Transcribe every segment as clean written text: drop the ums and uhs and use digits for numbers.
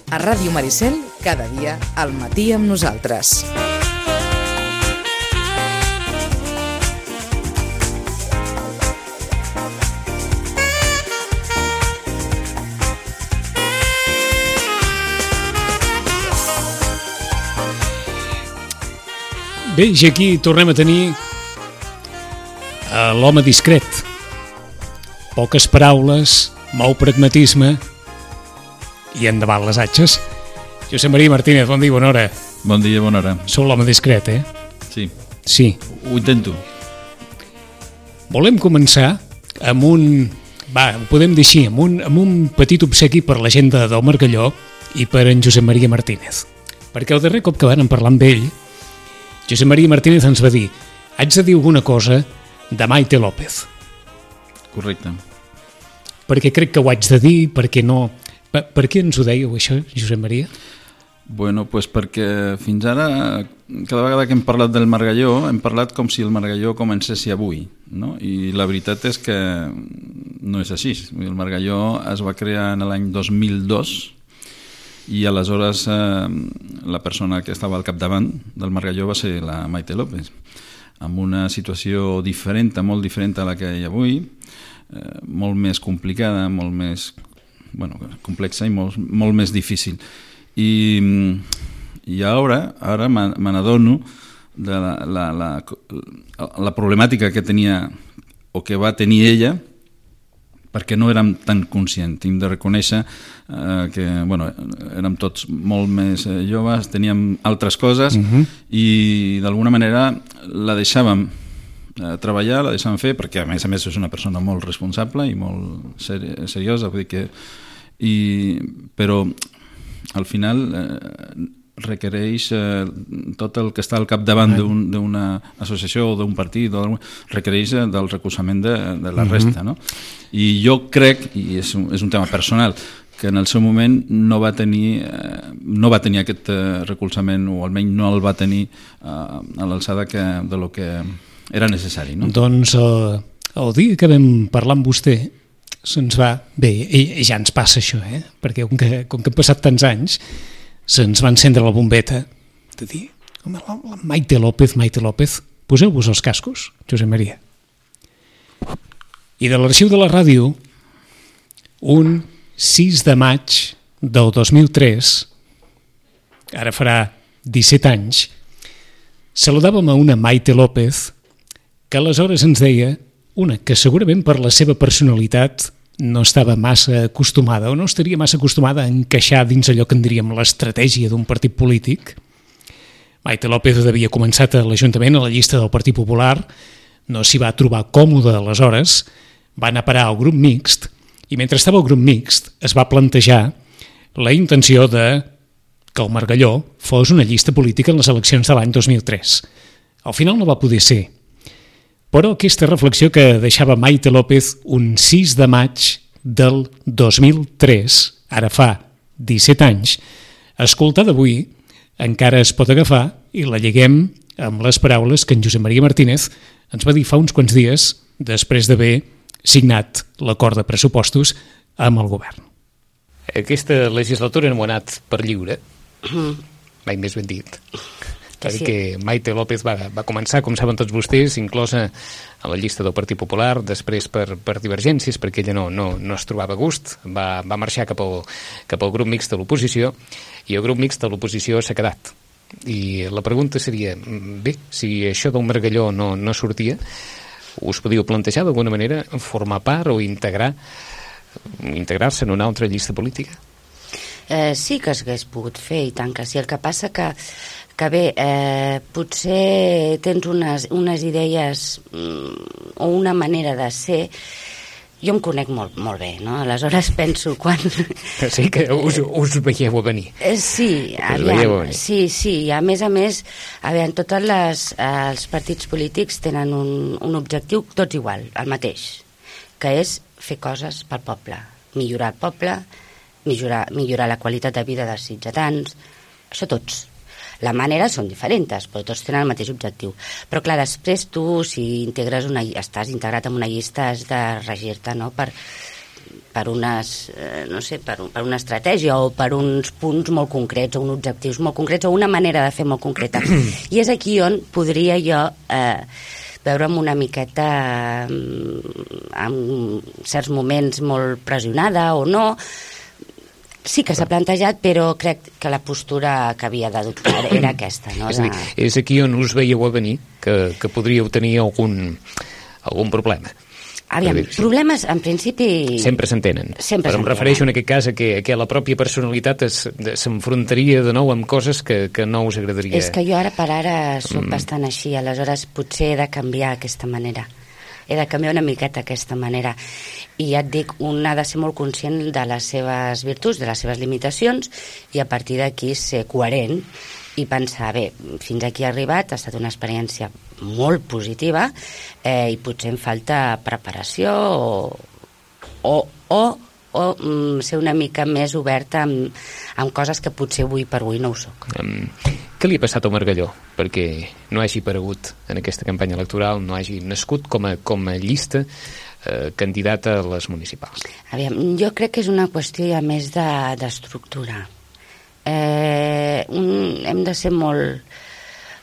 A Ràdio Maricel, cada dia al matí amb nosaltres. Bé, i aquí tornem a tenir l'home discret. Poques paraules, molt pragmatisme i endavant les atxes. Josep Maria Martínez, bon dia, bona hora. Bon dia, bona hora. Sou l'home discret, eh? Sí. Sí. Ho intento. Volem començar amb un... ho podem dir així, amb un petit obsequi per la gent del Margalló i per en Josep Maria Martínez. Perquè el darrer cop que van parlar amb ell, Josep Maria Martínez ens va dir: haig de dir alguna cosa de Maite López. Correcte. Perquè crec que ho haig de dir, perquè no... Per què ens ho dèieu, això, Josep Maria? Bueno, pues perquè fins ara, cada vegada que hem parlat del Margalló, hem parlat com si el Margalló comencés avui, no? I la veritat és que no és així. El Margalló es va crear en l'any 2002 i aleshores la persona que estava al capdavant del Margalló va ser la Maite López, amb una situació diferent, molt diferent a la que hi ha avui, molt més complicada, molt més complexa i molt més difícil. I ara me n'adono de la problemàtica que tenia o que va tenir ella, perquè no érem tan conscients. Hem de reconèixer que érem tots molt més joves, teníem altres coses i d'alguna manera la deixàvem treballar, la deixàvem fer, perquè a més és una persona molt responsable i molt seriosa, vull dir que... però al final requereix tot el que està al capdavant d'una associació o d'un partit, requereix del recolzament de la resta, no? I jo crec, i és un tema personal, que en el seu moment no va tenir aquest recolzament, o almenys no el va tenir a l'alçada de lo que era necessari, no? Doncs el dia que vam parlar amb vostè se'ns va... Bé, i ja ens passa això, perquè com que han passat tants anys se'ns va encendre la bombeta de dir, home, la Maite López, poseu-vos els cascos, Josep Maria. I de l'arxiu de la ràdio, un 6 de maig del 2003, ara farà 17 anys, saludàvem a una Maite López que aleshores ens deia, que segurament per la seva personalitat no estava massa acostumada o no estaria massa acostumada a encaixar dins allò que en diríem l'estratègia d'un partit polític. Maite López havia començat a l'Ajuntament, a la llista del Partit Popular, no s'hi va trobar còmode aleshores, va anar a parar al grup mixt i mentre estava al grup mixt es va plantejar la intenció de que el Margalló fos una llista política en les eleccions de l'any 2003. Al final no va poder ser. Però aquesta reflexió que deixava Maite López un 6 de maig del 2003, ara fa 17 anys, escoltada avui, encara es pot agafar i la lliguem amb les paraules que en Josep Maria Martínez ens va dir fa uns quants dies després d'haver signat l'acord de pressupostos amb el govern. Aquesta legislatura no ha anat per lliure, mai més ben dit. Perquè Maite López va començar, com saben tots vostès, inclosa a la llista del Partit Popular, després per divergències, perquè ella no es trobava a gust, va marxar cap al grup mixt de l'oposició, i el grup mixt de l'oposició s'ha quedat. I la pregunta seria, bé, si això del Margalló no sortia, us podíeu plantejar d'alguna manera formar part o integrar-se en una altra llista política? Sí que s'hagués pogut fer, i tant que sí. El que passa que bé, potser tens unes idees o una manera de ser. Jo em conec molt bé, no? Aleshores penso quan... Sí, que us veieu a venir. Sí, aviam, sí. A més, aviam, tots els partits polítics tenen un objectiu tots igual, el mateix, que és fer coses pel poble, millorar el poble, millorar la qualitat de vida dels ciutadans, això tots. La manera són diferents, però tots tenen el mateix objectiu. Però clar, després tu, si estàs integrat en una llista, has de regir-te, no?, per per unes, no sé, per una estratègia o per uns punts molt concrets o uns objectius molt concrets o una manera de fer molt concreta. I és aquí on podria jo veure'm una miqueta en certs moments molt pressionada o no. Sí que s'ha plantejat, però crec que la postura que havia d'adoptar era aquesta. No? És aquí on us veieu a venir que podríeu tenir algun problema. Aviam, problemes en principi... Sempre s'entenen. Però em refereixo en aquest cas a que la pròpia personalitat s'enfrontaria de nou amb coses que no us agradaria. És que jo ara per ara soc bastant així, aleshores potser he de canviar aquesta manera. He de canviar una miqueta aquesta manera. I ja et dic, un ha de ser molt conscient de les seves virtuts, de les seves limitacions, i a partir d'aquí ser coherent i pensar, bé, fins aquí he arribat, ha estat una experiència molt positiva i potser em falta preparació o ser una mica més oberta amb coses que potser avui per avui no ho soc. Què li ha passat a Margalló perquè no hagi aparegut en aquesta campanya electoral, no hagi nascut com a llista candidata a les municipals? Aviam, jo crec que és una qüestió ja més d'estructura. Hem de ser molt...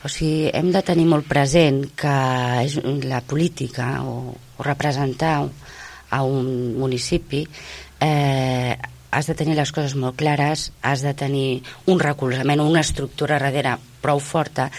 O sigui, hem de tenir molt present que és la política o representar a un municipi has de tenir les coses molt clares, has de tenir un recolzament o una estructura darrere prou forta,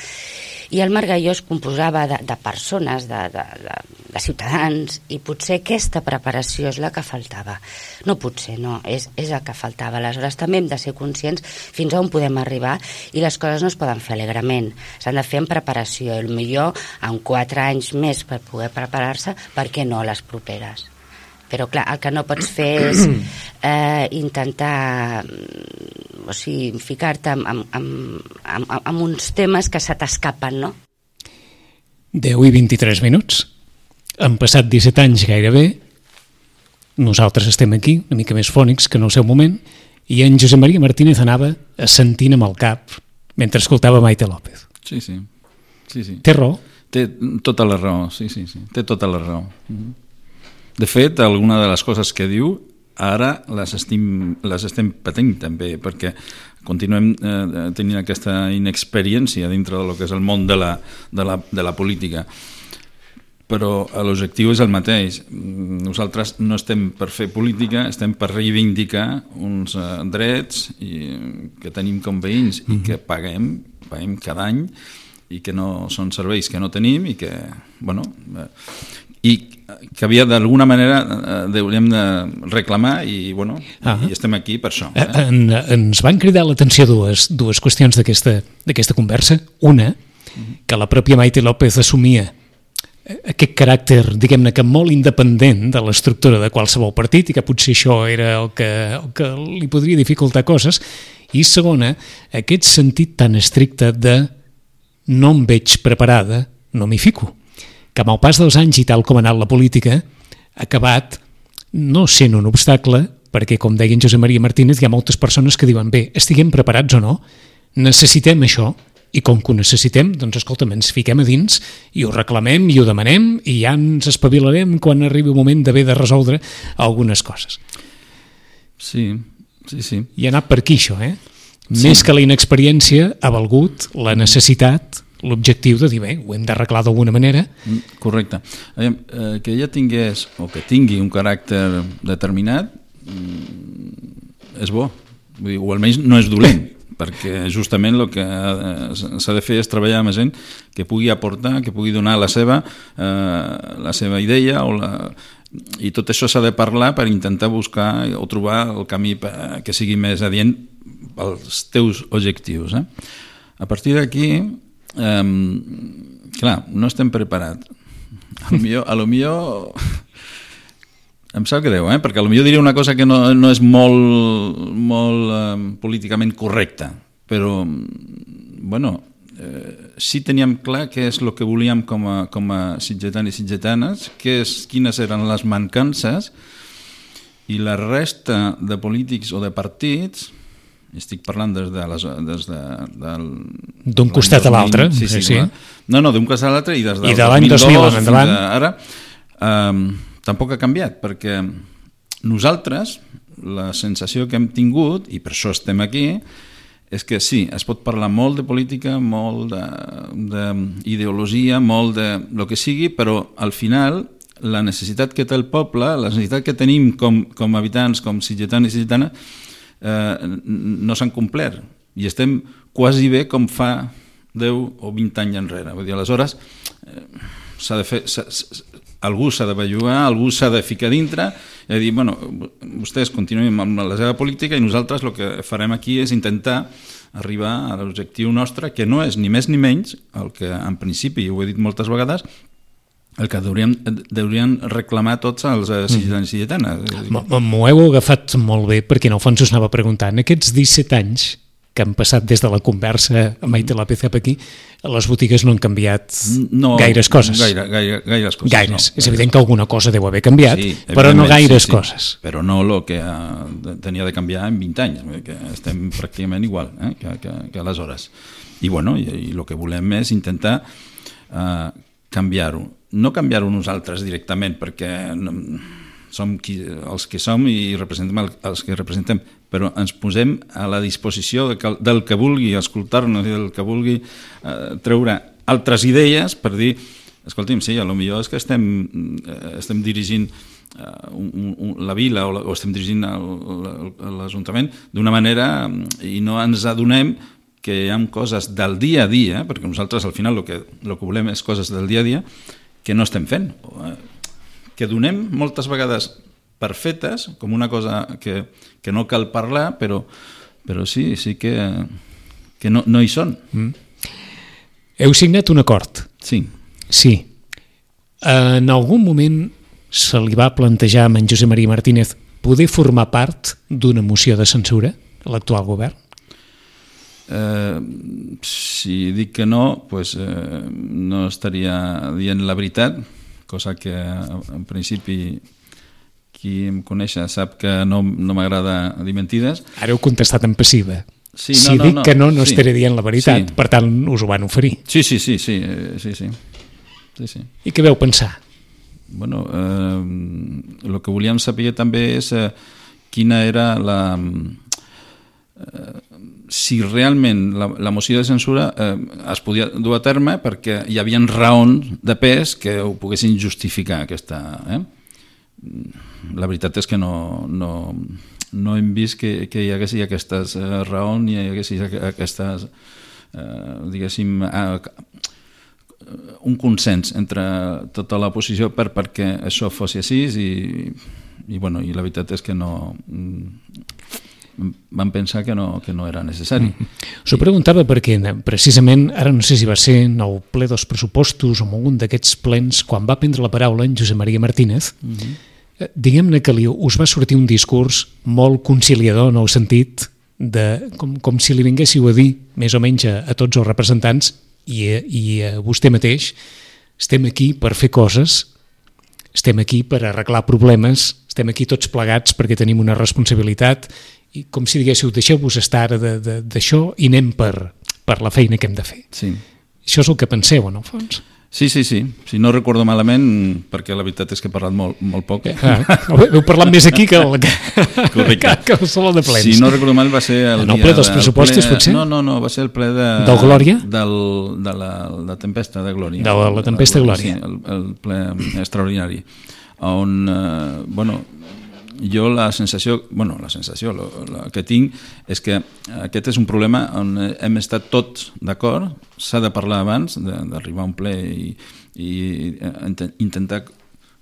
i el Margalló es composava de persones, de ciutadans, i potser aquesta preparació és la que faltava. No potser, no, és el que faltava. Aleshores també hem de ser conscients fins a on podem arribar, i les coses no es poden fer alegrement, s'han de fer en preparació, i millor en 4 anys més per poder preparar-se, per què no les properes? Però clar, el que no pots fer és intentar ficar-te en uns temes que se t'escapen, no? 10 i 23 minuts. Han passat 17 anys gairebé. Nosaltres estem aquí, una mica més fònics que en el seu moment, i en Josep Maria Martínez anava assentint amb el cap mentre escoltava Maite López. Sí. Té raó? Té tota la raó, sí. Té tota la raó. De fet, alguna de les coses que diu ara les estem patint també, perquè continuem tenint aquesta inexperiència dintre del que és el món de la política. Però l'objectiu és el mateix. Nosaltres no estem per fer política, estem per reivindicar uns drets que tenim com veïns i que paguem cada any, i que no són serveis que no tenim i que, i que havia d'alguna manera hauríem de reclamar, i i estem aquí per això. Ens van cridar l'atenció dues qüestions d'aquesta conversa. Una, que la pròpia Maite López assumia aquest caràcter, diguem-ne, que molt independent de l'estructura de qualsevol partit, i que potser això era el que li podria dificultar coses. I segona, aquest sentit tan estricte de no em veig preparada, no m'hi fico, que amb el pas dels anys i tal com ha anat la política ha acabat no sent un obstacle, perquè, com deia en Josep Maria Martínez, hi ha moltes persones que diuen, bé, estiguem preparats o no, necessitem això, i com que ho necessitem, doncs escolta'm, ens fiquem a dins i ho reclamem i ho demanem, i ja ens espavilarem quan arribi el moment d'haver de resoldre algunes coses. Sí. I ha anat per aquí això, Més que la inexperiència ha valgut la necessitat, l'objectiu de dir, bé, ho hem d'arreglar d'alguna manera. Correcte. Que ella tingués, o que tingui un caràcter determinat, és bo. Vull dir, o almenys no és dolent, perquè justament el que s'ha de fer és treballar amb gent que pugui aportar, que pugui donar la seva idea, i tot això s'ha de parlar per intentar buscar o trobar el camí que sigui més adient als teus objectius. A partir d'aquí, clar, no estem preparats. A lo millor em sap greu, perquè a lo millor diria una cosa que no és molt políticament correcta, però sí teníem clar què és el que volíem com a sitgetans i sitgetanes, quines eren les mancances, i la resta de polítics o de partits, estic parlant d'un costat a l'altre. No, d'un costat a l'altre, i des del l'any 2000 fins ara tampoc ha canviat, perquè nosaltres, la sensació que hem tingut, i per això estem aquí, és que sí, es pot parlar molt de política, molt d'ideologia, molt de lo que sigui, però al final la necessitat que té el poble, la necessitat que tenim com habitants, com sitgetans i sitgetanes, no s'han complert. I estem quasi bé com fa 10 o 20 anys enrere. Vull dir, aleshores, s'ha de fer... algú s'ha de bellugar, algú s'ha de ficar dintre i dir, bueno, vostès continuem amb la seva política i nosaltres el que farem aquí és intentar arribar a l'objectiu nostre, que no és ni més ni menys el que en principi, ho he dit moltes vegades, el que deurien reclamar tots els sitgetans i sitgetanes. M'ho heu agafat molt bé perquè en el fons us anava preguntant, aquests 17 anys que han passat des de la conversa amb Maite López cap aquí, les botigues no han canviat gaires coses. Gaires coses. Gaires. És evident que alguna cosa deu haver canviat, però no gaires coses. Però no el que tenia de canviar en 20 anys, que estem pràcticament igual que aleshores. I el que volem és intentar canviar-ho. No canviar-ho nosaltres directament, perquè som els que som i representem els que representem, però ens posem a la disposició del que vulgui escoltar-nos i del que vulgui treure altres idees per dir, escolti'm, sí, potser és que estem dirigint la vila o estem dirigint l'Ajuntament d'una manera i no ens adonem que hi ha coses del dia a dia, perquè nosaltres al final el que volem és coses del dia a dia que no estem fent, que donem moltes vegades per fetes, com una cosa que no cal parlar, però sí que no hi són. Heu signat un acord. Sí. Sí. En algun moment se li va plantejar a en Josep Maria Martínez poder formar part d'una moció de censura a l'actual govern? Si dic que no, no estaria dient la veritat, cosa que en principi qui em coneix sap que no m'agrada dir mentides. Ara heu contestat en passiva. Sí, si dic que no estaré dient la veritat, per tant us ho van oferir. Sí. I què veu pensar? Bueno, el que volíem saber també és quina era si realment la moció de censura es podia dur a terme perquè hi havia raons de pes que ho poguessin justificar aquesta... La veritat és que no hem vist que hi hagués aquestes raons ni hi hagués aquestes, diguéssim, un consens entre tota l'oposició perquè això fos així i la veritat és que no... van pensar que no era necessari. S'ho preguntava perquè precisament, ara no sé si va ser en el ple dels pressupostos o en algun d'aquests plens, quan va prendre la paraula en Josep Maria Martínez, diguem-ne que us va sortir un discurs molt conciliador en el sentit de com si li vinguéssiu a dir més o menys a tots els representants i a vostè mateix, estem aquí per fer coses, estem aquí per arreglar problemes, estem aquí tots plegats perquè tenim una responsabilitat i com si diguéssiu, deixeu-vos estar d'això i anem per la feina que hem de fer. Sí. Això és el que penseu, en el fons? Sí. Si no recordo malament, perquè la veritat és que he parlat molt poc. Heu parlat més aquí que el saló de plens. Si no recordo mal va ser el ple dels pressupostos, potser? No, va ser el ple del Glòria? De la tempesta de Glòria. De la tempesta de Glòria. Sí, el ple extraordinari. On, jo la sensació que tinc és que aquest és un problema on hem estat tots d'acord, s'ha de parlar abans d'arribar a un ple i intentar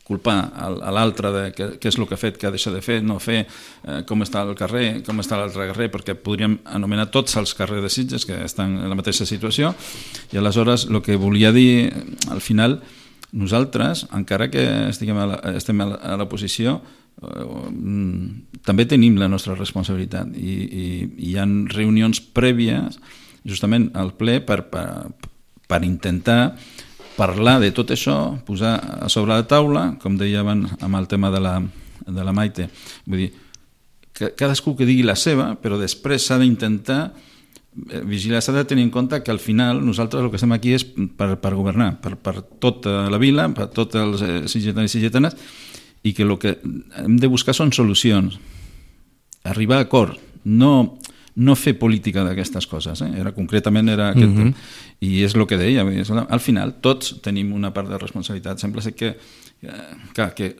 culpar a l'altre de què és el que ha fet, què ha deixat de fer, no fer, com està el carrer, com està l'altre carrer, perquè podríem anomenar tots els carrers de Sitges que estan en la mateixa situació, i aleshores el que volia dir al final, nosaltres, encara que estem a l'oposició, també tenim la nostra responsabilitat i hi ha reunions prèvies justament al ple per intentar parlar de tot això, posar a sobre la taula, com deia abans amb el tema de la Maite, vull dir, que cadascú que digui la seva, però després s'ha d'intentar vigilar, s'ha de tenir en compte que al final nosaltres el que estem aquí és per governar, per tota la vila, per tots els sitgetans i sitgetanes, i que el que hem de buscar són solucions, arribar a acord, no fer política d'aquestes coses, concretament era aquest i és el que deia, al final tots tenim una part de responsabilitat, sembla ser que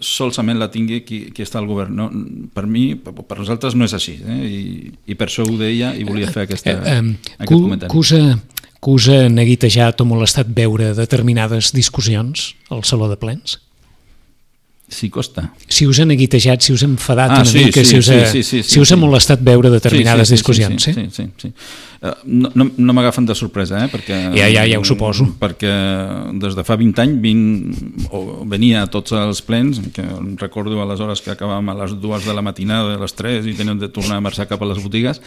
solament la tingui qui està al govern, no? Per mi, per nosaltres no és així, i per això ho deia i volia fer aquest comentari. Que us ha neguitejat o molestat veure determinades discussions al Saló de Plens? Sí, costa. Si us ha neguitejat, si us ha enfadat una mica, si us ha molestat veure determinades discussions. Sí. No m'agafen de sorpresa, perquè... Ja ho suposo. Perquè des de fa 20 anys venia a tots els plens, que recordo aleshores que acabàvem a les 2 de la matinada, a les 3, i teníem de tornar a marxar cap a les botigues,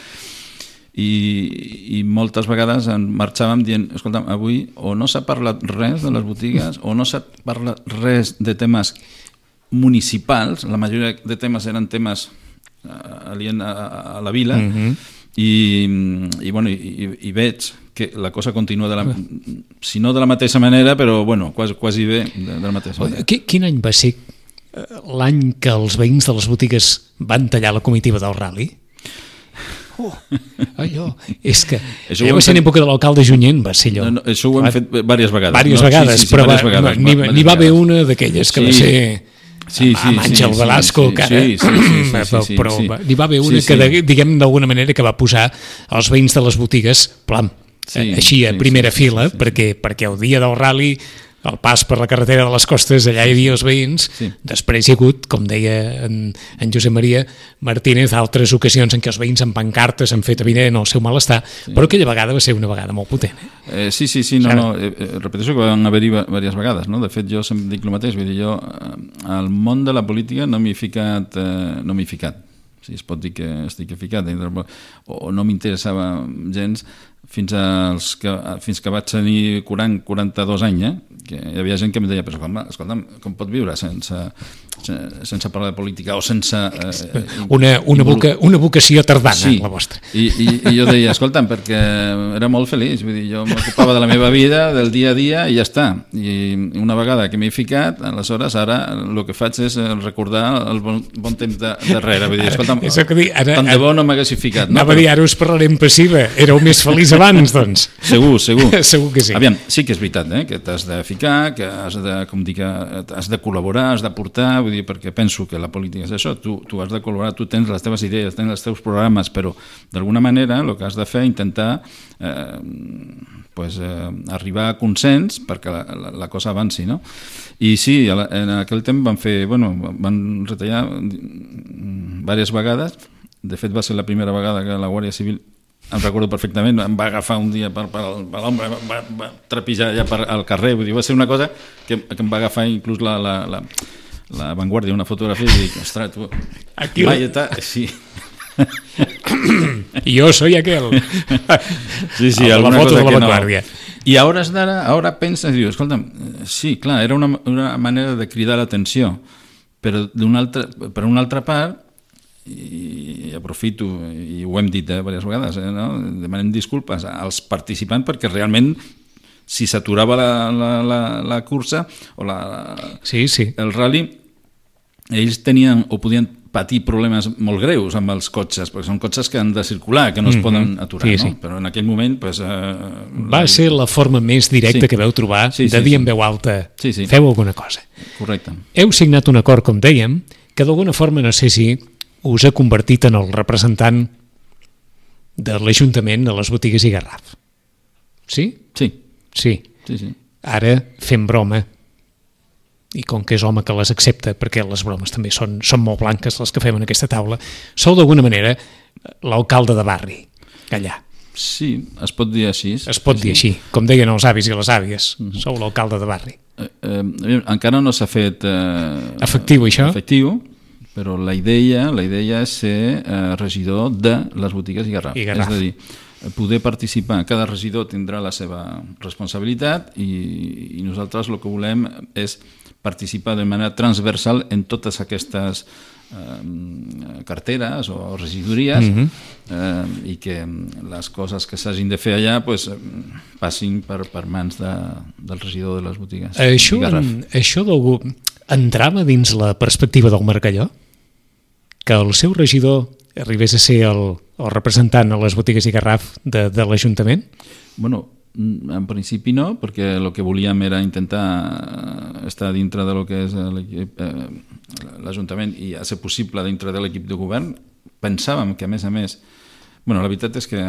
i moltes vegades marxàvem dient, escolta'm, avui o no s'ha parlat res de les botigues o no s'ha parlat res de temes municipals, la majoria de temes eren temes aliens a la vila, i veig que la cosa continua si no de la mateixa manera, però quasi bé de la mateixa manera. Quin any va ser l'any que els veïns de les botigues van tallar la comitiva del rally? Allò, és que ja va ser en època de l'alcalde Junyent, va ser allò. Això ho hem fet diverses vegades. Diverses vegades, però n'hi va haver una d'aquelles que va ser... amb Àngel Velasco, però n'hi va haver una que, diguem d'alguna manera, que va posar els veïns de les botigues, així a primera fila, perquè el dia del rally, el pas per la carretera de les costes, allà hi havia els veïns. Després hi ha hagut, com deia en Josep Maria Martínez, altres ocasions en què els veïns amb pancartes han fet evident el seu malestar, però aquella vegada va ser una vegada molt potent. Repeteixo que van haver-hi diverses vegades, no? De fet, jo sempre dic el mateix, vull dir, jo al món de la política no m'hi he ficat, si es pot dir que estic ficat, o no m'interessava gens fins que vaig tenir 42 anys, que hi havia gent que em deia, però escolta'm, com pot viure sense parlar de política o sense... Una vocació tardana, la vostra. I jo deia, escolta'm, perquè era molt feliç, vull dir, jo m'ocupava de la meva vida, del dia a dia, i ja està. I una vegada que m'he ficat, aleshores ara el que faig és recordar el bon temps darrere, vull dir, escolta'm, tant de bo no m'haguessi ficat. Anava a dir, ara us parlarem passiva, éreu més feliç abans, doncs. Segur. Segur que sí. Aviam, sí que és veritat, que t'has de ficar, que has de col·laborar, has d'aportar, vull dir, perquè penso que la política és això, tu has de col·laborar, tu tens les teves idees, tens els teus programes, però d'alguna manera el que has de fer és intentar arribar a consens perquè la cosa avanci, no? I sí, en aquell temps van retallar diverses vegades. De fet, va ser la primera vegada que la Guàrdia Civil, em recordo perfectament, em va agafar un dia per l'ombra, va trepijar allà al carrer, vull dir, va ser una cosa que em va agafar inclús la Vanguardia, una fotografia, i dic, ostres, tu, Valleta, sí. Yo soy aquel. Sí, alguna cosa que no. I a hores d'ara, ara penses i dius, escolta'm, sí, clar, era una manera de cridar l'atenció, però per una altra part, i aprofito, i ho hem dit diverses vegades, no? Demanem disculpes als participants perquè realment si s'aturava la cursa o el rally, ells tenien o podien patir problemes molt greus amb els cotxes, perquè són cotxes que han de circular, que no es poden aturar, no? Però en aquell moment va ser la forma més directa que veu trobar de dir en veu alta, feu alguna cosa. Correcte. Heu signat un acord, com dèiem, que d'alguna forma, no sé si us ha convertit en el representant de l'Ajuntament a les botigues i Garraf. Sí? Sí. Ara fem broma, i com que és home que les accepta, perquè les bromes també són molt blanques les que fem en aquesta taula, sou d'alguna manera l'alcalde de barri, allà. Sí, es pot dir així. Es pot dir així, com deien els avis i les àvies, sou l'alcalde de barri. Encara no s'ha fet efectiu, això? Efectiu, però la idea és ser regidor de les botigues i Garraf. És a dir, poder participar, cada regidor tindrà la seva responsabilitat i nosaltres el que volem és participar de manera transversal en totes aquestes carteres o regidories i que les coses que s'hagin de fer allà passin per mans del regidor de les botigues. Això d'algú... entrava dins la perspectiva del Margalló? Que el seu regidor arribés a ser el representant a les botigues i Garraf de l'Ajuntament? Bueno, en principi no, perquè el que volíem era intentar estar dintre de lo que és l'Ajuntament i a ser possible dintre de l'equip de govern. Pensàvem que, a més, bueno, la veritat és que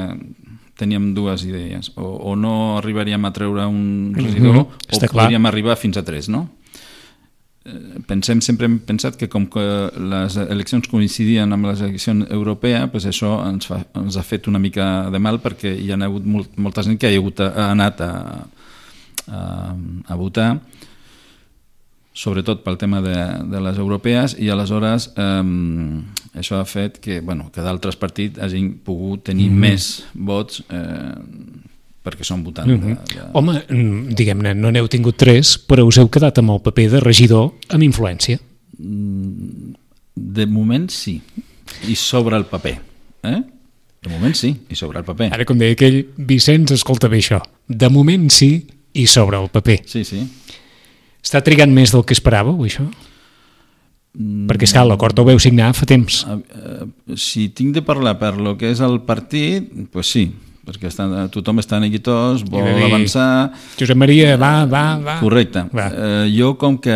teníem dues idees. O no arribaríem a treure un regidor o podríem arribar fins a 3, no? Sempre hem pensat que com que les eleccions coincidien amb les eleccions europees, pues això ens ha fet una mica de mal, perquè hi ha hagut molta gent que ha anat a votar, sobretot pel tema de les europees, i aleshores això ha fet que d'altres partits hagin pogut tenir més vots perquè són votant. Home, diguem-ne, no n'heu tingut 3, però us heu quedat amb el paper de regidor amb influència. De moment sí, i sobre el paper. De moment sí, i sobre el paper. Ara, com deia aquell, Vicenç, escolta bé això. De moment sí, i sobre el paper. Sí. Està trigant més del que esperàveu, això? Perquè, esclar, l'acord ho veu signar fa temps. Si tinc de parlar per lo que és el partit, doncs sí, perquè tothom està neguitós, vol avançar... Josep Maria, va. Correcte. Jo, com que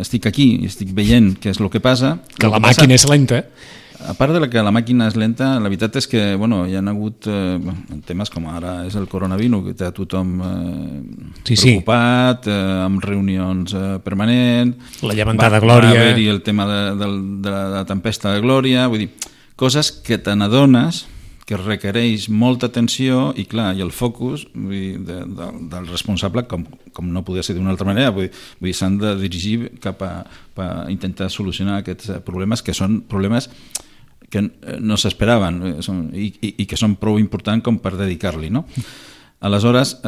estic aquí i estic veient què és el que passa... Que la màquina és lenta. A part de que la màquina és lenta, la veritat és que hi ha hagut temes com ara és el coronavirus, que té a tothom preocupat, amb reunions permanents... La llevantada Glòria... Va haver-hi el tema de la tempesta de Glòria, vull dir, coses que te n'adones que requereix molta atenció i, clar, i el focus del responsable, com no podia ser d'una altra manera, vull dir, s'han de dirigir cap a intentar solucionar aquests problemes, que són problemes que no s'esperaven i que són prou importants com per dedicar-li, no? Aleshores,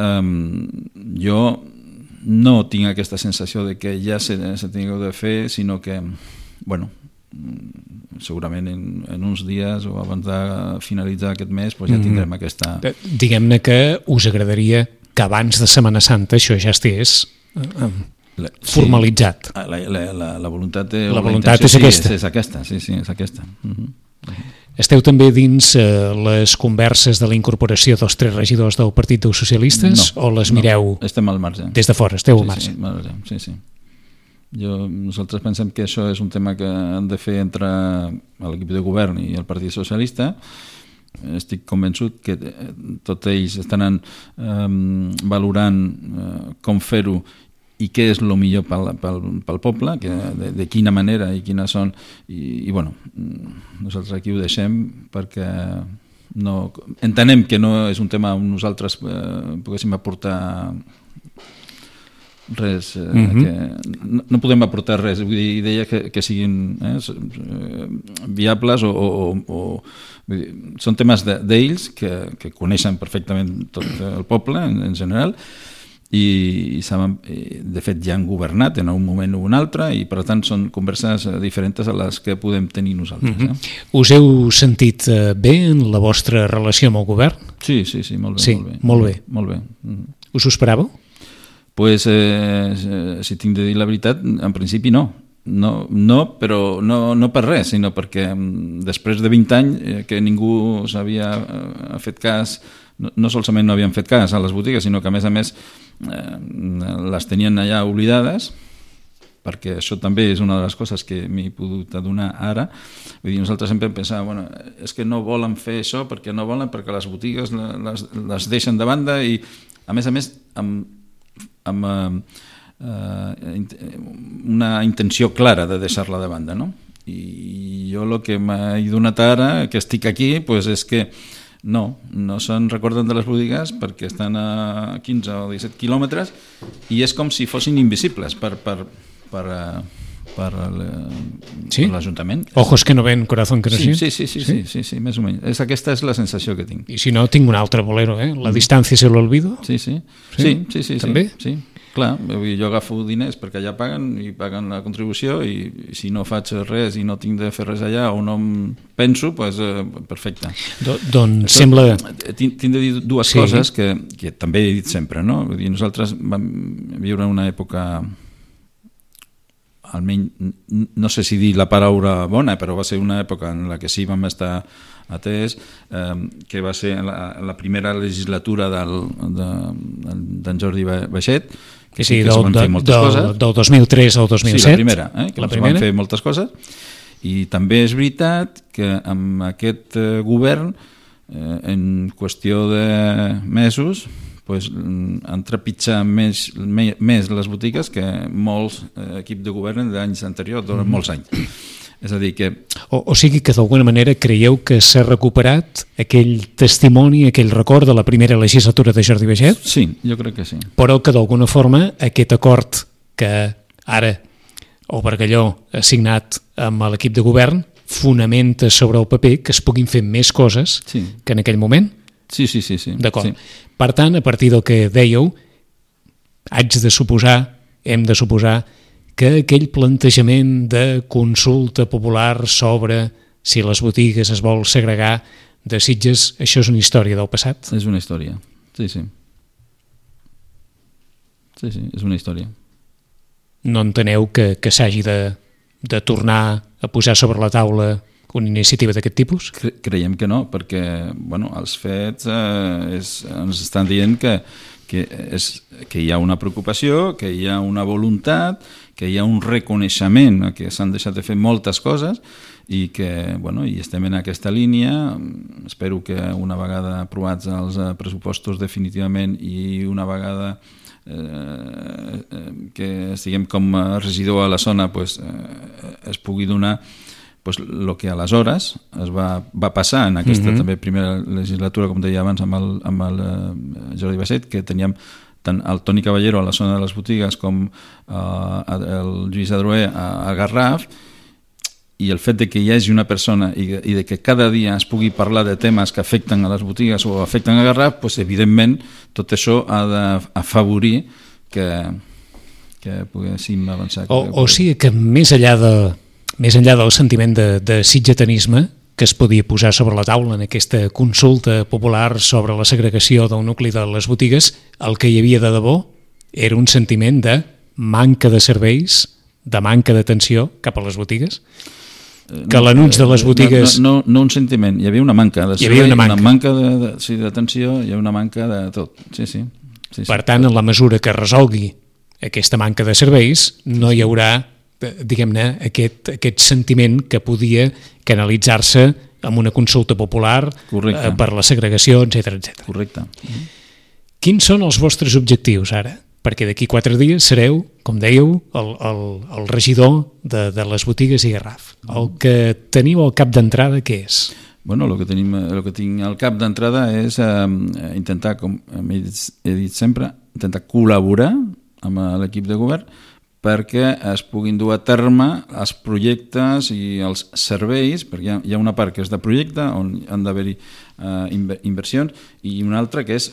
jo no tinc aquesta sensació de que ja se tingueu de fer, sinó que, segurament en uns dies o abans de finalitzar aquest mes ja tindrem aquesta... Diguem-ne que us agradaria que abans de Setmana Santa això ja estigués formalitzat. La voluntat és aquesta. És aquesta, sí, és aquesta. Esteu també dins les converses de la incorporació dels 3 regidors del Partit dels Socialistes o les mireu... Estem al marge. Des de fora, esteu al marge. Sí. Nosaltres pensem que això és un tema que han de fer entre l'equip de govern i el Partit Socialista. Estic convençut que tots ells estan valorant com fer-ho i què és el millor pel poble, de quina manera i quines són, i nosaltres aquí ho deixem perquè entenem que no és un tema on nosaltres poguéssim aportar res, no podem aportar res, vull dir, deia que siguin viables o són temes d'ells que coneixen perfectament tot el poble en general i saben, de fet ja han governat en un moment o un altre i per tant són converses diferents a les que podem tenir nosaltres. Us heu sentit bé en la vostra relació amb el govern? Sí, molt bé. Sí, molt bé. Us ho esperàveu? Pues, si tinc de dir la veritat, en principi no, però no per res, sinó perquè després de 20 anys que ningú s'havia fet cas, no solament no havien fet cas a les botigues, sinó que a més les tenien allà oblidades, perquè això també és una de les coses que m'he pogut adonar ara. Vull dir, nosaltres sempre pensàvem, és que no volen fer això perquè les botigues les deixen de banda i a més amb una intenció clara de deixar-la de banda, no? I jo el que m'he donat ara, que estic aquí, és que no se'n recorden de les botigues perquè estan a 15 o 17 quilòmetres i és com si fossin invisibles per l'Ajuntament. Ojos que no ven, corazón que no siente. Sí, més o menys. Aquesta és la sensació que tinc. I si no, tinc un altre bolero, La distància se l'olvido. Sí. També? Sí. Clar, jo agafo diners perquè allà paguen la contribució i si no faig res i no tinc de fer res allà o no em penso, perfecte. Doncs sembla... Tinc de dir dues coses que també he dit sempre, no? Nosaltres vam viure una època almenys, no sé si dir la paraula bona, però va ser una època en la que sí vam estar atès, que va ser la primera legislatura d'en Jordi Baixet, que sí que es van fer moltes coses. Del 2003 al 2007. Sí, la primera, que es van fer moltes coses. I també és veritat que amb aquest govern, en qüestió de mesos, han trepitjat més les botigues que molts equips de govern d'anys anteriors, durant molts anys. És a dir que... O sigui que d'alguna manera creieu que s'ha recuperat aquell testimoni, aquell record de la primera legislatura de Jordi Baixet? Sí, jo crec que sí. Però que d'alguna forma aquest acord que ara el Bargalló ha signat amb l'equip de govern fonamenta sobre el paper que es puguin fer més coses que en aquell moment? Sí. D'acord. Sí. Per tant, a partir del que dèieu, hem de suposar que aquell plantejament de consulta popular sobre si les botigues es vol segregar de Sitges, això és una història del passat? És una història, sí. Sí, és una història. No enteneu que s'hagi de tornar a posar sobre la taula una iniciativa d'aquest tipus? Creiem que no, perquè els fets ens estan dient que hi ha una preocupació, que hi ha una voluntat, que hi ha un reconeixement que s'han deixat de fer moltes coses i que i estem en aquesta línia. Espero que una vegada aprovats els pressupostos definitivament i una vegada que estiguem com a regidor a la zona es pugui donar el que aleshores es va passar en aquesta també primera legislatura, com deia abans, amb el Jordi Baixet, que teníem tant el Toni Caballero a la zona de les botigues com el Lluís Adroer a Garraf, i el fet de que hi hagi una persona i de que cada dia es pugui parlar de temes que afecten a les botigues o afecten a Garraf, evidentment tot això ha d'afavorir que poguéssim avançar. O sigui que més enllà del sentiment de sitgetanisme que es podia posar sobre la taula en aquesta consulta popular sobre la segregació del nucli de les botigues, el que hi havia de debò era un sentiment de manca de serveis, de manca d'atenció cap a les botigues? Que l'anunci de les botigues... No un sentiment, hi havia una manca de servei, una manca d'atenció, hi havia una manca de tot. Sí. Per tant, en la mesura que resolgui aquesta manca de serveis, no hi haurà, diguem-ne, aquest sentiment que podia canalitzar-se amb una consulta popular per la segregació, etc. Correcte. Quins són els vostres objectius ara? Perquè d'aquí 4 dies sereu, com dèieu, el regidor de les botigues i Garraf. El que teniu al cap d'entrada, què és? El que tinc al cap d'entrada és intentar, com he dit sempre, intentar col·laborar amb l'equip de govern perquè es puguin dur a terme els projectes i els serveis, perquè hi ha una part que és de projecte on han d'haver-hi inversions i una altra que és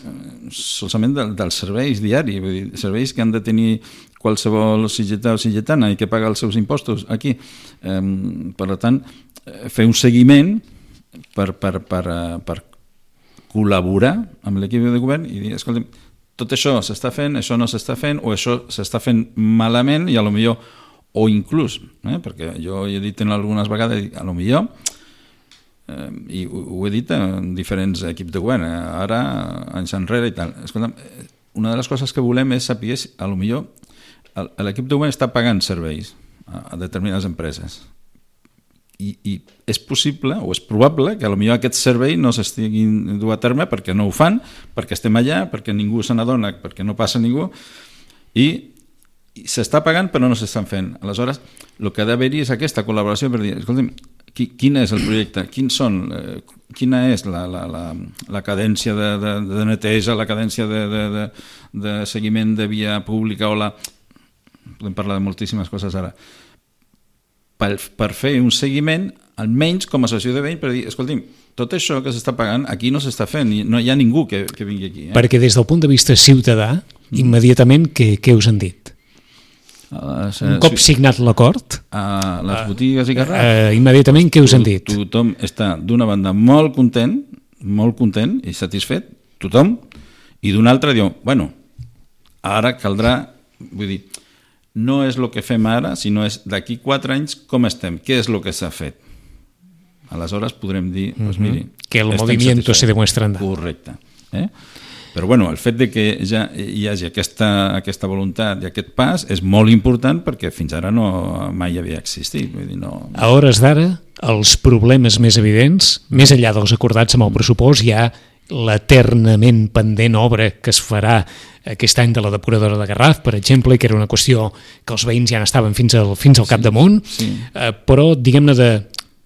solament dels serveis diaris, vull dir, serveis que han de tenir qualsevol sitgetà o sitgetana i que paga els seus impostos aquí. Per tant, fer un seguiment per col·laborar amb l'equip de govern i dir, escolta'm, tot això s'està fent, això no s'està fent, o això s'està fent malament i potser, o inclús, perquè jo he dit en algunes vegades, potser, i ho he dit en diferents equips de govern, ara, anys enrere i tal. Escolta'm, una de les coses que volem és saber si, potser, l'equip de govern està pagant serveis a determinades empreses. I és possible o és probable que potser aquest servei no s'estiguin dur a terme perquè no ho fan, perquè estem allà, perquè ningú se n'adona, perquè no passa ningú i s'està pagant però no s'estan fent. Aleshores, el que ha d'haver-hi és aquesta col·laboració per dir, escolta'm, quin és el projecte, quina és la cadència de neteja, la cadència de seguiment de via pública podem parlar de moltíssimes coses ara, per fer un seguiment, almenys com a associació de veïns, per dir, escolti'm, tot això que s'està pagant aquí no s'està fent, i no hi ha ningú que vingui aquí. Perquè des del punt de vista ciutadà, immediatament, què us han dit? Un cop signat l'acord? A les botigues i Garraf? Immediatament, què us han dit? Tothom està, d'una banda, molt content i satisfet, tothom, i d'una altra diu, bueno, ara caldrà, vull dir, no és el que fem ara, sinó és d'aquí 4 anys com estem, què és el que s'ha fet. Aleshores podrem dir, doncs miri... Que el movimiento se demuestra andar. Correcte. Però bueno, el fet de que ja hi hagi aquesta voluntat i aquest pas és molt important perquè fins ara mai havia existit. Vull dir, no... A hores d'ara, els problemes més evidents, més enllà dels acordats amb el pressupost, hi ha l'eternament pendent obra que es farà aquest any de la depuradora de Garraf, per exemple, que era una qüestió que els veïns ja n'estaven fins al capdamunt, però diguem-ne de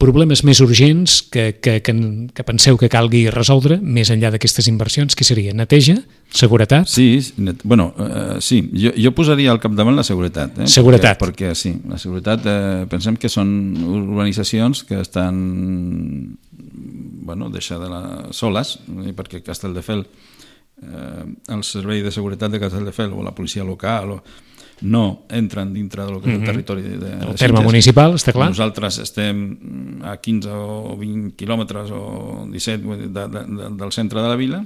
problemes més urgents que penseu que calgui resoldre, més enllà d'aquestes inversions, què seria? Neteja? Seguretat? Sí, sí. Jo posaria al capdavant la seguretat. Seguretat. Perquè sí, la seguretat, pensem que són urbanitzacions que estan deixades soles, perquè Castelldefels, el servei de seguretat de Castelldefels o la policia local no entren dintre del que és el territori de el terme municipal, està clar. Nosaltres estem a 15 o 20 quilòmetres o 17 del centre de la vila.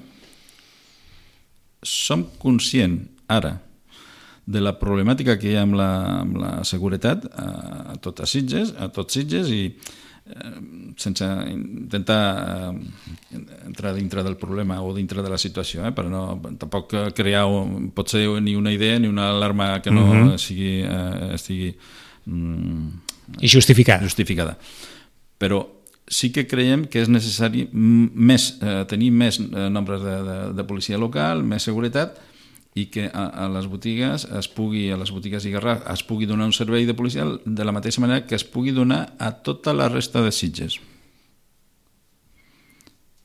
Som conscients ara de la problemàtica que hi ha amb la seguretat a tots Sitges i sense intentar entrar dintre del problema o dintre de la situació, però tampoc crear potser ni una idea ni una alarma que no estigui justificada. Però sí que creiem que és necessari tenir més nombres de policia local, més seguretat, i que a les botigues i Garraf es pugui donar un servei de policia de la mateixa manera que es pugui donar a tota la resta de Sitges.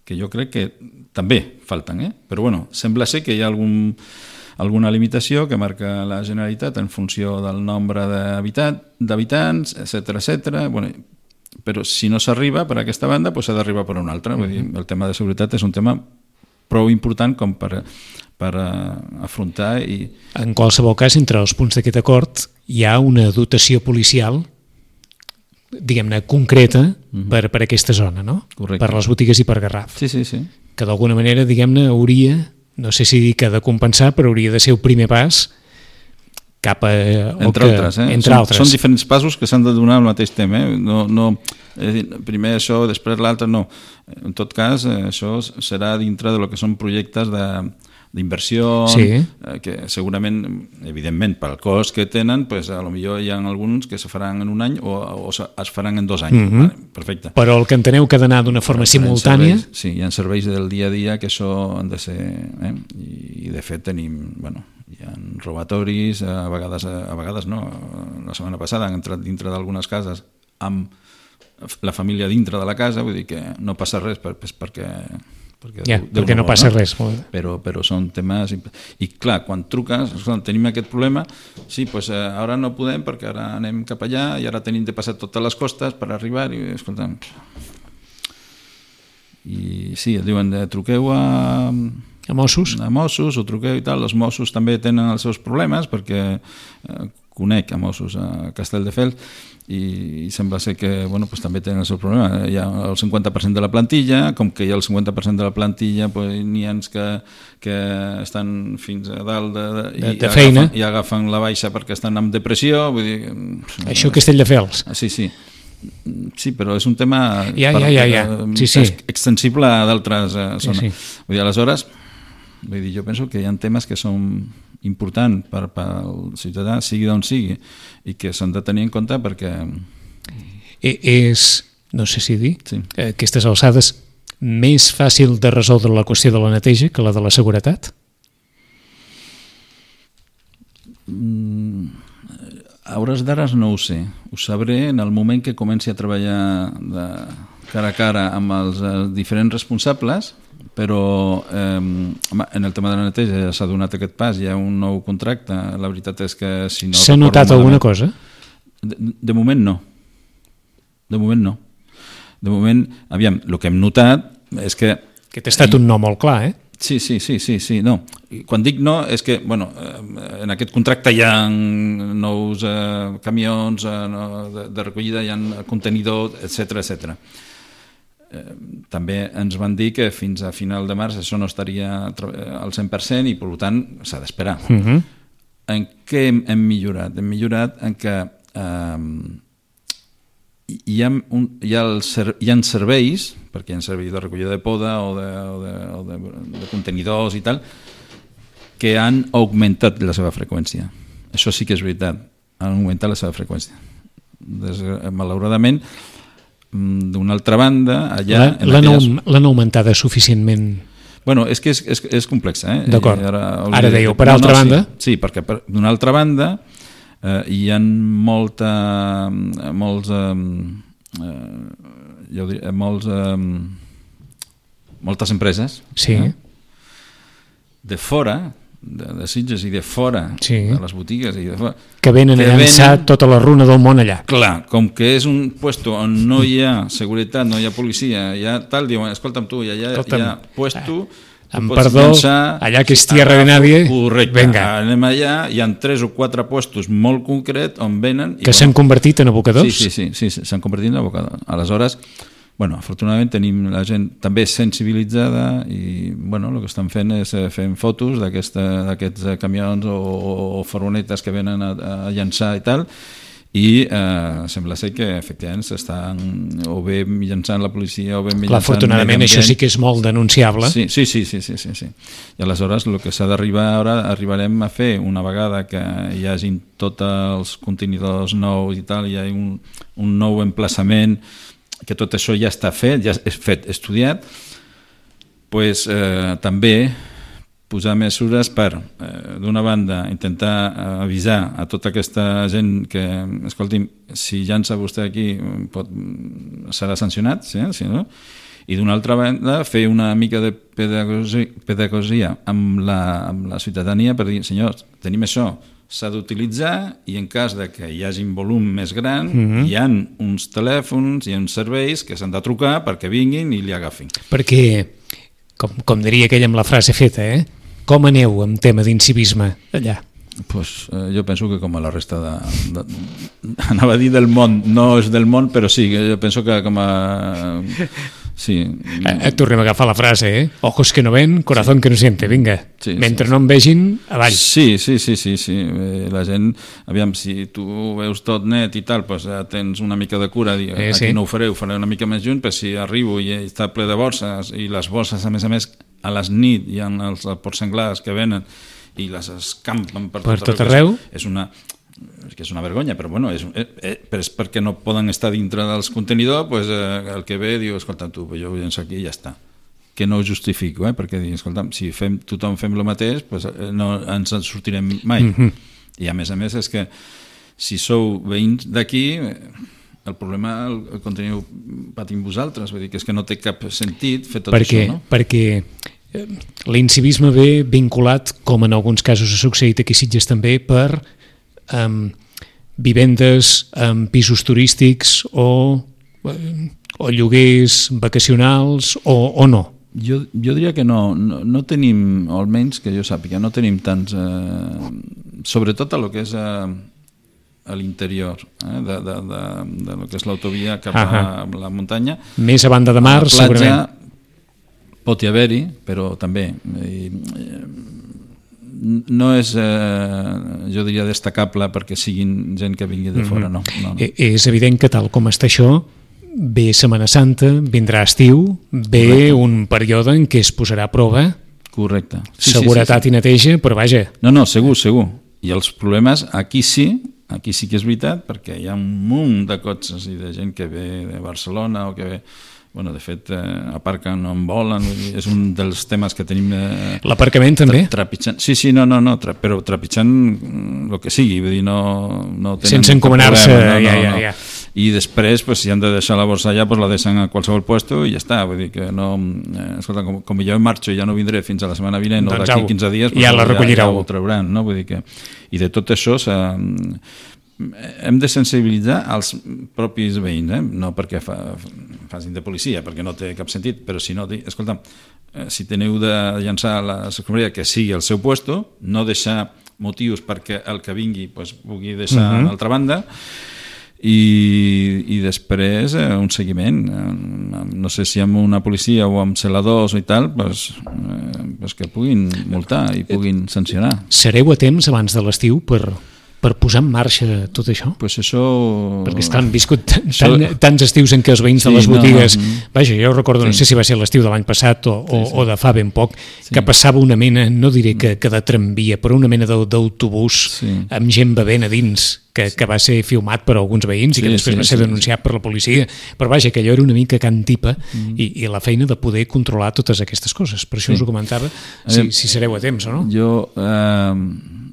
Que jo crec que també falten, però bueno, sembla ser que hi ha alguna limitació que marca la Generalitat en funció del nombre d'habitants, etcètera. Bueno, però si no s'arriba per aquesta banda, s'ha d'arribar per una altra. Vull dir, el tema de seguretat és un tema prou important com per afrontar i... En qualsevol cas, entre els punts d'aquest acord hi ha una dotació policial, diguem-ne, concreta per aquesta zona, no? Correcte. Per les botigues i per Garraf. Sí. Que d'alguna manera, diguem-ne, hauria, no sé si dir que de compensar, però hauria de ser el primer pas cap a... Entre altres. Són diferents passos que s'han de donar al mateix tema. No, primer això, després l'altre, no. En tot cas, això serà dintre de lo que són projectes d'inversió, que segurament, evidentment, pel cost que tenen, a lo millor hi ha alguns que se faran en un any o es faran en 2 anys. Perfecte. Però el que enteneu que ha d'anar d'una forma simultània... Sí, hi ha serveis del dia a dia que això han de ser... I de fet tenim... Hi ha robatoris, a vegades no. La setmana passada han entrat dintre d'algunes cases amb la família dintre de la casa, vull dir que no passa res perquè no passa res. Però són temes... I clar, quan truques, tenim aquest problema, sí, ara no podem perquè ara anem cap allà i ara tenim de passar totes les costes per arribar i escolta'm... I sí, et diuen, truqueu a Mossos o truqueu i tal. Els Mossos també tenen els seus problemes perquè conec a Mossos a Castelldefels i sembla ser que també tenen el seu problema. Hi ha el 50% de la plantilla, com que hi ha el 50% de la plantilla n'hi ha que estan fins a dalt de feina i agafen la baixa perquè estan amb depressió. Vull dir, això Castelldefels. Sí, però és un tema extensible a d'altres zones. Vull dir, aleshores, jo penso que hi ha temes que són importants per al ciutadà, sigui d'on sigui, i que s'han de tenir en compte perquè... És, no sé si dir, aquestes alçades, més fàcil de resoldre la qüestió de la neteja que la de la seguretat? A hores d'ara no ho sé. Ho sabré en el moment que comenci a treballar cara a cara amb els diferents responsables, però en el tema de la neteja ja s'ha donat aquest pas, hi ha un nou contracte. La veritat és que si no... S'ha notat alguna cosa? De moment no. De moment, aviam, el que hem notat és que... Que t'ha estat un no molt clar, Sí, no. Quan dic no és que, en aquest contracte hi ha nous camions de recollida, hi ha contenidor, etcètera. També ens van dir que fins a final de març això no estaria al 100% i per tant s'ha d'esperar. en què hem millorat? Hem millorat en que hi ha serveis, perquè hi ha serveis de recollida de poda o de contenidors i tal, que han augmentat la seva freqüència. Això sí que és veritat, han augmentat la seva freqüència. Malauradament, d'una altra banda, allà... L'han augmentada suficientment? Bueno, és que és complexa. D'acord. Ara dèieu, per altra banda? Sí, perquè d'una altra banda hi ha moltes empreses de fora, de Sitges i de fora, de les botigues i de fora, que venen a llançar tota la runa del món allà. Clar, com que és un puesto on no hi ha seguretat, no hi ha policia, hi ha tal, diuen, escolta'm tu, allà hi ha puesto, amb perdó, allà que és tierra de nadie, correcte, venga. Anem allà, hi ha 3 o 4 puestos molt concrets on venen... Que s'han convertit en abocadors? Sí, s'han convertit en abocadors. Aleshores, bueno, afortunadament tenim la gent també sensibilitzada i bueno, el que estan fent és fent fotos d'aquests camions o furgonetes que venen a llançar i tal, i sembla ser que efectivament s'estan o bé llançant la policia o bé llançant... Clar, afortunadament això sí que és molt denunciable. Sí. I aleshores el que s'ha d'arribar ara, arribarem a fer una vegada que hi hagin tots els contenidors nous i tal, hi ha un nou emplaçament, que tot això ja està fet, ja és fet, estudiat, pues, també posar mesures per, d'una banda, intentar avisar a tota aquesta gent que, escolti'm, si llança vostè aquí serà sancionat, sí, no? I d'una altra banda fer una mica de pedagogia amb la ciutadania per dir, senyors, tenim això, s'ha d'utilitzar i en cas de que hi hagi un volum més gran hi ha uns telèfons, hi ha uns serveis que s'han de trucar perquè vinguin i li agafin. Perquè, com diria aquell amb la frase feta, com aneu amb tema d'incivisme allà? Pues, jo penso que com a la resta anava a dir del món, no és del món, però sí, jo penso que com a... Sí. Tornem a agafar la frase, ojos que no ven, corazón que no siente, vinga, mentre no em vegin, avall. Sí, la gent, aviam, si tu veus tot net i tal, pues tens una mica de cura, aquí no ho faré una mica més junt, però si arribo i està ple de borses, i les borses, a més, a les nit hi ha els porcenglars que venen i les escampen per tot arreu, és una vergonya, però bueno, és perquè no poden estar dintre dels contenidors, pues, el que ve diu, escolta, tu, jo ho llenço aquí i ja està. Que no ho justifico, perquè dic, escolta, si tothom fem el mateix, pues, no ens en sortirem mai. I a més és que si sou veïns d'aquí, el problema el conteniu patint vosaltres, vull dir que és que no té cap sentit fer tot això, no? Perquè l'incivisme ve vinculat, com en alguns casos ha succeït aquí a Sitges també, per vivendes en pisos turístics o lloguers vacacionals o no? Jo diria que no tenim, o almenys que jo sàpiga, no tenim tants, sobretot a lo que és a l'interior de lo que és l'autovia cap a la muntanya. Més a banda de mar, segurament. Pot hi haver-hi, però també no és, jo diria, destacable perquè siguin gent que vingui de fora, no. És evident que tal com està això, ve Setmana Santa, vindrà estiu, ve un període en què es posarà a prova. Correcte. Seguretat i neteja, però vaja. No, segur. I els problemes aquí sí que és veritat, perquè hi ha un munt de cotxes i de gent que ve de Barcelona o que ve... Bueno, de fet, aparquen on volen, és un dels temes que tenim... L'aparcament també? Trepitjant. Sí, però trepitjant el que sigui, vull dir, no tenen... Sense encomanar-se, ja. I després, si han de deixar la borsa allà, la deixen a qualsevol puesto i ja està, vull dir que no... Escolta, com jo marxo i ja no vindré fins a la setmana vinent o d'aquí 15 dies, ja la recollireu. Ja ho trauran, no? Vull dir que... I de tot això hem de sensibilitzar els propis veïns, no perquè facin de policia, perquè no té cap sentit, però si no, escolta, si teniu de llançar la escombraria, que sigui al seu puesto, no deixar motius perquè el que vingui pugui deixar a l'altra banda, i després un seguiment, no sé si amb una policia o amb celadors i tal, pues que puguin multar i puguin sancionar. Sereu a temps abans de l'estiu per posar en marxa tot això? Pues això... Perquè estan viscut tants estius en què els veïns de les botigues... Vaja, jo recordo, no sé si va ser l'estiu de l'any passat o de fa ben poc, que passava una mena, no diré que de tramvia, però una mena d'autobús amb gent bevent a dins, que va ser filmat per alguns veïns i que després va ser denunciat per la policia. Però vaja, que allò era una mica can tipa i la feina de poder controlar totes aquestes coses. Per això us ho comentava, si sereu a temps o no. Jo...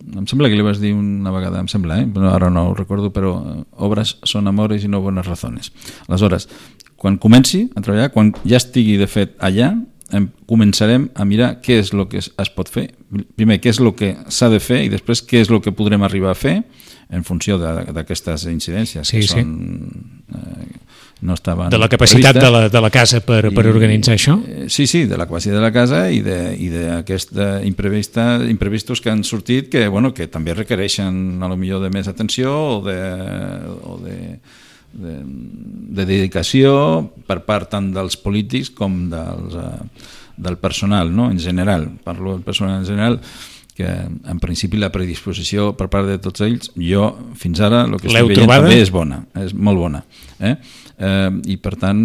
em sembla que li vas dir una vegada, em sembla, però ara no ho recordo, però obres són amores i no bones razones. Aleshores, quan comenci a treballar, quan ja estigui de fet allà, començarem a mirar què és el que es pot fer. Primer, què és el que s'ha de fer i després què és el que podrem arribar a fer en funció d'aquestes incidències que són... no estaven de la capacitat de la casa per organitzar això? Sí, de la capacitat de la casa i d'aquests imprevistos que han sortit que també requereixen a lo millor de més atenció o de dedicació per part tant dels polítics com del personal, no? En general, parlo del personal en general, que en principi la predisposició per part de tots ells, jo fins ara el que estic veient també és bona, és molt bona. I per tant,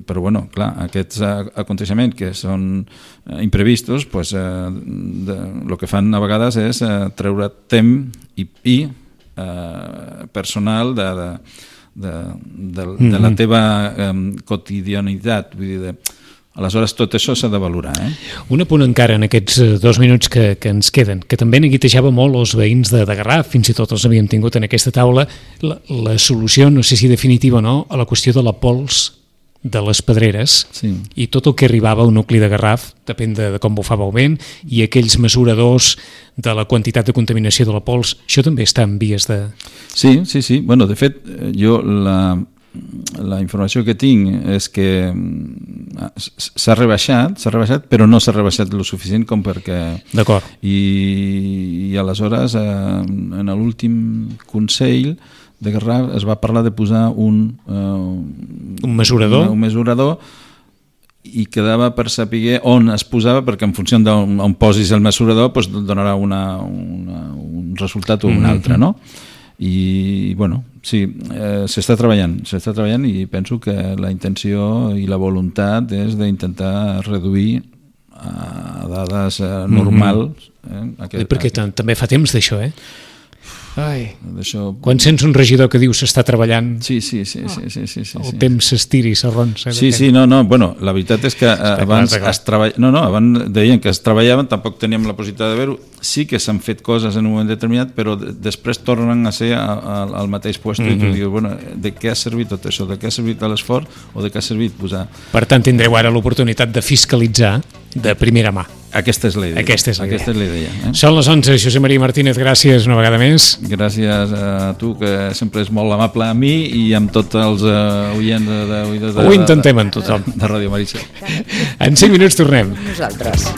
però clar, aquests aconteixements que són imprevistos, el que fan a vegades és treure temps i personal de la teva quotidianitat, vull dir, aleshores tot això s'ha de valorar. Un apunt encara en aquests 2 minuts que ens queden, que també neguitejava molt els veïns de Garraf, fins i tot els havíem tingut en aquesta taula, la solució, no sé si definitiva o no, a la qüestió de la pols de les pedreres i tot el que arribava al nucli de Garraf, depèn de com bufava el vent, i aquells mesuradors de la quantitat de contaminació de la pols, això també està en vies de... Sí. Bueno, de fet, jo la informació que tinc és que s'ha rebaixat, però no s'ha rebaixat el suficient com perquè... D'acord. I aleshores, en l'últim Consell de Garraf es va parlar de posar un mesurador? Un mesurador i quedava per saber on es posava, perquè en funció d'on posis el mesurador donarà un resultat o un altre, no? I sí, s'està treballant i penso que la intenció i la voluntat és d'intentar reduir a dades normals. Perquè també fa temps d'això, Quan sents un regidor que diu s'està treballant, sí. El temps s'estira i s'arronsa. Sí, la veritat és que abans deien que es treballaven, tampoc teníem la possibilitat de veure-ho, sí que s'han fet coses en un moment determinat, però després tornen a ser al mateix lloc i tu dius, de què ha servit tot això, de què ha servit l'esforç o de què ha servit posar... Per tant, tindreu ara l'oportunitat de fiscalitzar de primera mà. Aquesta és la idea. Són les 11, Josep Maria Martínez, gràcies una vegada més. Gràcies a tu, que sempre és molt amable a mi i amb tots els oients Ho intentem amb tothom. De Ràdio Maricel. En 5 minuts tornem. Nosaltres.